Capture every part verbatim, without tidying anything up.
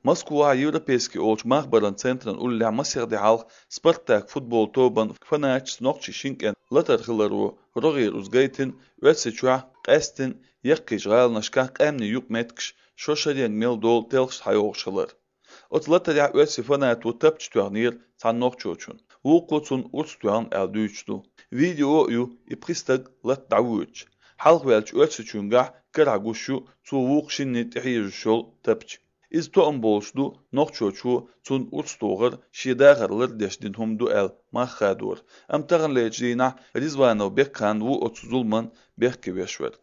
Москвахь Европейский олучу махбаран центран уллехь масех де хьалха «Спартак» футбол тобан фанаташца нохчийн шин кӀентан латар хиларо рогӀера уьш гайтина, Оьрсийчохь, къаьсттина яккхийчу гӀаланашкахь къаьмнийн юкъаметтигаш шо шаренга мел долу телхаш схьайогӀуш хилар. Оцу латарехь оьрсийн фанато тапча тоьхнера цхьана нохчочунна. Вукхо цунна урс тоьхна аьлла дуьйцуш ду. Видео а ю, и пхи стаг латта дӀавоьдуш. Хьалхаваьллачу оьрсичуьнгахь карахь гуш ю цо вукху шинна тӀехьежош йолу тапча. Иза тоам болуш ду, нохчочо цунна урс тохар шен дахар лардеш дина хӀума ду аьлла мах хадор. Амма таханлерчу дийнахь Ризванов Бекхан ву оцу зуламан бехке веш верг.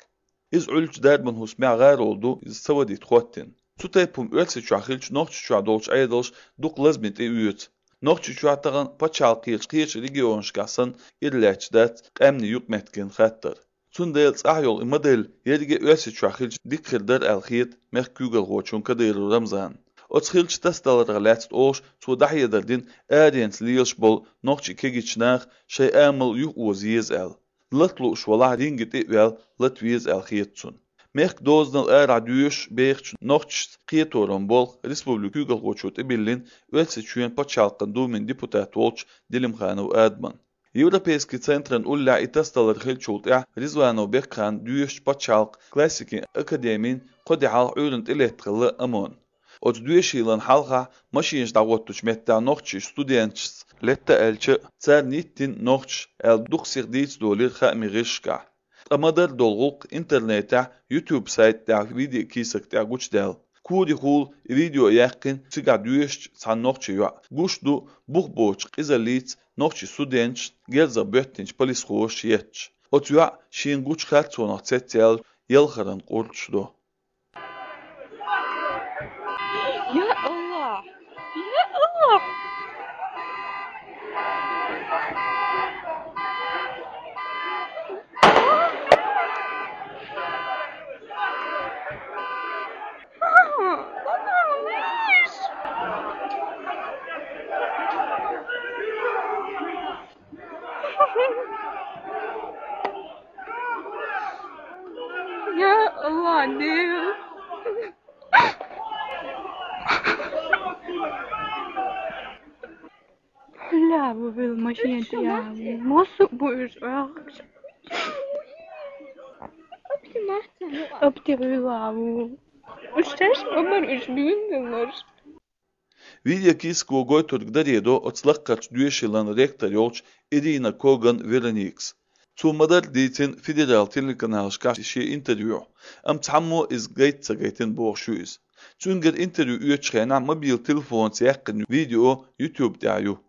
Иза Ӏуьллучу дарбан хӀусамехь гӀаролла ду, иза ца вадийта хӀоттийна. Цу тайпа хӀума Оьрсийчохь хилча, Нохчийчохь долчу Ӏедалша дукха лазаме тӀеоьцу. Нохчийчохь тахана пачхьалкхера кхечу регионашкахь санна ира лаьтташ дац къаьмнийн юкъаметтиган хаттар. Цундела цӀахь йолу и модель ерриге а Оьрсийчохь хилча дика хир дара аьлла хета мехкан куьйгалхочунна Кадыров Рамзанна. Оцу хиллачу тасадаларх лаьцна олуш, цо дӀахьедар дина аренца лелаш болу нохчийн кегийчу наха шайн амал юхаоза еза аьлла. Лата лууш валахь, ринге тӀе а ваьлла, лата веза аьлла хета цунна. Мехкан дозанал арахь доьшуш бехачу нохчашца кхеторан болх республикан куьйгалхочо тӀебиллина Оьрсийчоьнан Пачхьалкхан Думин депутат волчу Делимханов Адаман. Европейский центран уллехь и тасадалар хиллачул тӀаьхьа Ризванов Бекхана доьшучу пачхьалкхан классикин академин кхо де хьалха Ӏуьйранна тӀелетта хилла ОМОН. Оцу доьшийлан хьалха машинаш дӀахӀоттучу меттехь нохчийн студенташца летта аьлча, царна йиттина нохчаша аьлла дукха сиха дийца долийра хаамийн гӀирсашкахь. Ткъа ма-дарра долу гӀуллакх интернетехь, YouTube сайта тӀехь видеокийсак тӀехь гучудаьлла. Корехула и видео яьккхина цигахь доьшучу цхьана нохчийн йоӀа. Гуш ду бух боцучу къизаллица нохчийн студенташна герзах боьттинчу полисхоша етташ. Оцу йоӀа шена гучу харцонах цецъяьлла ялхаран къурдаш до. Я Аллах! Я Аллах! Я Аллах, Дэви! Хьуьлла бу вил машина тӀехь. Мосу бу уьш ахча. Апти хьуьлла бу. Уьш теш ма бар уьш буьйна марш. Видеокийсако гойтург даре до оцу лаккхарчу доьшийлан ректор йолчу Ирина Коган Вероникас. Цо ма-дарра дийцина федерал телеканалашкахь шен интервьюхь, амма цхьаммо иза гайта ца гайтина бохуш ю иза. Цуьнгара интервью оьцучу хенахь мобил телефонца яьккхина видео YouTube тӀехь ю.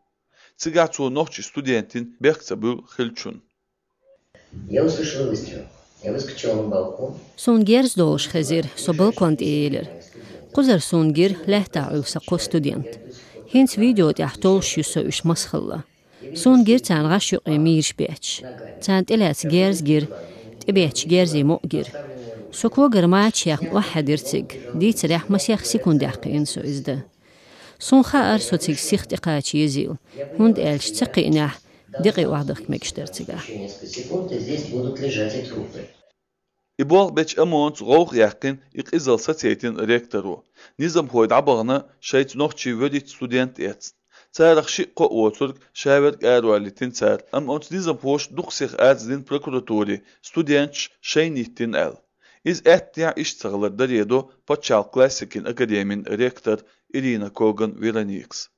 Цигахь цо нохчийн студентийн бехк ца буьллу хиллачунна. Я услышал выстрел. Я выскочила на балкон. Суна герз долуш хезира, со балкон тӀе елира. Кхузара суна гира лаьттахь Ӏуьллу сан кхо студент. ХӀинца видео тӀехь толлуш ю со уьш масхалла. Суна гира царна гӀаш юкъе мийраш бетташ. Царна тӀелаьцна герз гира, тӀебетташ герзийн мукъ гира. Со когара мачаш яьхна охьахьаьдира цига, дийцарехь масех секундехь кхиъна со иза дан. Суна хаьара со цига сиха тӀекхача езийла, хӀунда аьлча ца кхиънехь декъий охьадахка мегаш дара цигахь. Ещё несколько секунд, и здесь будут лежать и трупы. И болх бечу ОМОН-ца гӀовгӀа яьккхина и къизалла сацийтина ректоро. Низамхой дӀабахана шайца нохчийн вуьрхӀитта студент эцна. Царах шиъ-кхоъ воцург шаверг аравалийтина цара, амма оцу низамхоша дукха сиха арз дина прокуратуре, студенташ шайна йиттина аьлла. Иза аьттехьа иштта ца хилар даре до пачхьалкхан классикин академин ректор Ирина Коган Вероникас.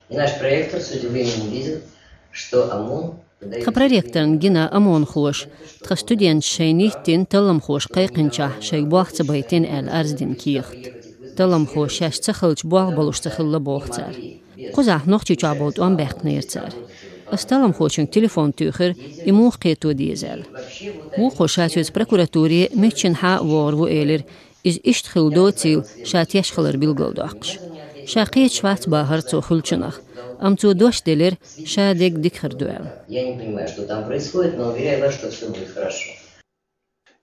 И наш проректор с удивлением увидел, что ОМОН выдаёт... Тхан проректорна гина ОМОНхоша, тхан студенташ шайна йиттина талламхоша кхайкхинчохь шайга болх ца байтина аьлла арз дина кехат. Талламхоша шаьш ца хилча болх болуш ца хилла боху цара. Кхузахь Нохчийчохь болу тӀом баьккхинера цара. Ас талламхочуьнга телефон туьйхира, и муха кхето деза аьлла. Вукхо ша соьца прокуратуре миччанхьа а вогӀур ву элира, иза иштта хилла доцийла ша теш хилар билгалдоккхуш. Ша кхеташ вац бахара цо хуьлучунах, амма цо дош делира, ша дерг дика хир ду аьлла. Я не понимаю, что там происходит, но уверяю вас, что всё будет хорошо.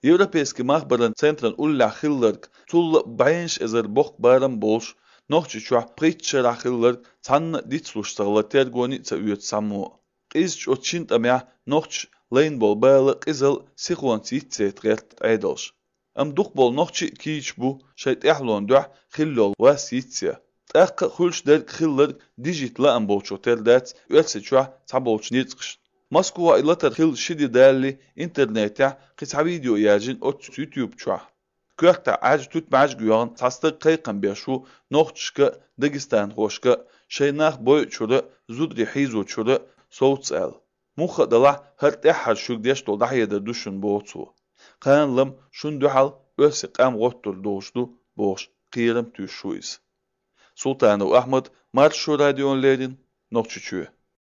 Европейский махбаран центран уллехь хилларг, цул а бӀеннаш эзар боккха барам болуш, Нохчийчохь пхийтта шарахь хилларг цхьанна а дицлуш ца хилла тергоне а ца оьцу цхьаммо. Къизачу оцу шина тӀамехь нохчаша лайна болу бала къизалла, сихонца йицъяйта гӀерта Ӏедалша. Амма дукхахболу нохчий а кийча бу шайн тӀаьхьалонна дуьхьа хилла йолу вас йицъян. ТӀаккха а хуьлуш дерг хилларг дижийта лаам болчух тера дац Оьрсийчохь цхьаболчу ницкъашна. Москвахь и латар хилла ши де далале интернетехь кхин цхьа видео яьржина оццу YouTube чохь. Коьртахь Ӏаьржа туьтмаьжга йоьгӀна цхьа стаг кхайкхам беш ву нохчашка а, дагестанхошка а, шайн нах бойучуьра а, зударий хьийзочуьра а совца аьлла. Муха а делахь, хӀара тӀаьххьара шуьга деш долу дӀахьедар ду шуна, боху цо. Кхана-лама шуна дуьхьал оьрсийн къам гӀоттур долуш ду, бохуш, кхерам туьйсуш ву иза. Султанов Ахьмад, Маршо радиона леррина, Нохчийчоь.